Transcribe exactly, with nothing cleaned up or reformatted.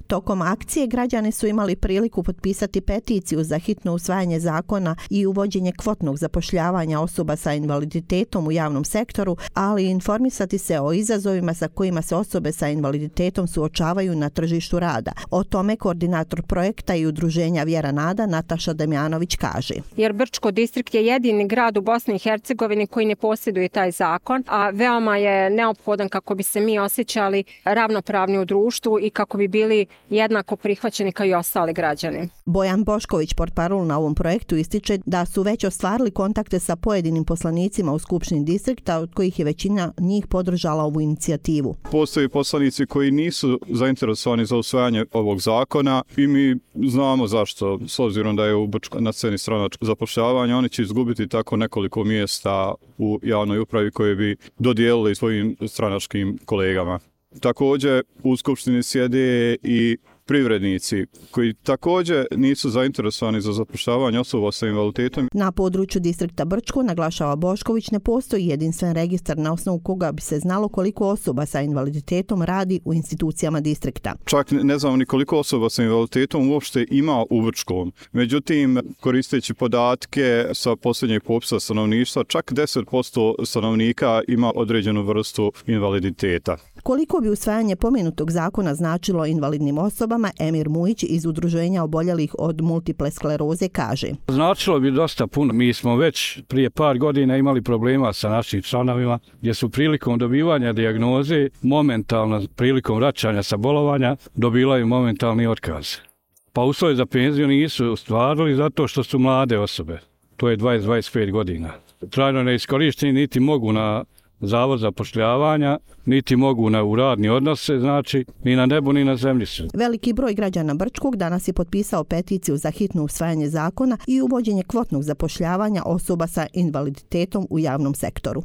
Tokom akcije građani su imali priliku potpisati peticiju za hitno usvajanje zakona i uvođenje kvotnog zapošljavanja osoba sa invaliditetom u javnom sektoru, ali i informisati se o izazovima sa kojima se osobe sa invaliditetom suočavaju na tržištu rada. O tome koordinator projekta i udruženja Vjera Nada Nataša Damjanović kaže. Jer Brčko distrikt je jedini grad u Bosni i Hercegovini koji ne posjeduje taj zakon, a veoma je neophodan kako bi se mi osjećali ravnopravni u društvu i kako bi bili jednako prihvaćeni kao i ostali građani. Bojan Bošković, portparol na ovom projektu, ističe da su već ostvarili kontakte sa pojedinim poslanicima u Skupštini distrikta, od kojih je većina njih podržala ovu inicijativu. Postoje poslanici koji nisu zainteresovani za usvajanje ovog zakona i mi znamo zašto. S obzirom da je u Brčkoj na sceni stranačko zapošljavanje, oni će izgubiti tako nekoliko mjesta u javnoj upravi koje bi dodijelili svojim stranačkim kolegama. Također u Skupštini sjede i privrednici koji također nisu zainteresovani za zapošljavanje osoba sa invaliditetom. Na području distrikta Brčko, naglašava Bošković, ne postoji jedinstven registar na osnovu koga bi se znalo koliko osoba sa invaliditetom radi u institucijama distrikta. Čak ne znamo ni koliko osoba sa invaliditetom uopšte ima u Brčkom. Međutim, koristeći podatke sa posljednjeg popisa stanovništva, čak deset posto stanovnika ima određenu vrstu invaliditeta. Koliko bi usvajanje pomenutog zakona značilo invalidnim osobama, Emir Mujić iz udruženja oboljelih od multiple skleroze kaže. Značilo bi dosta puno. Mi smo već prije par godina imali problema sa našim članovima gdje su prilikom dobivanja dijagnoze, momentalno prilikom vraćanja sa bolovanja, dobivaju momentalni otkaz. Pa uslovi za penziju nisu ostvarili zato što su mlade osobe. To je dvadeset do dvadeset pet godina. Trajno neiskorišteni niti mogu na Zavod zapošljavanja, niti mogu na u radni odnose, znači ni na nebu ni na zemlji su. Veliki broj građana Brčkog danas je potpisao peticiju za hitno usvajanje zakona i uvođenje kvotnog zapošljavanja osoba sa invaliditetom u javnom sektoru.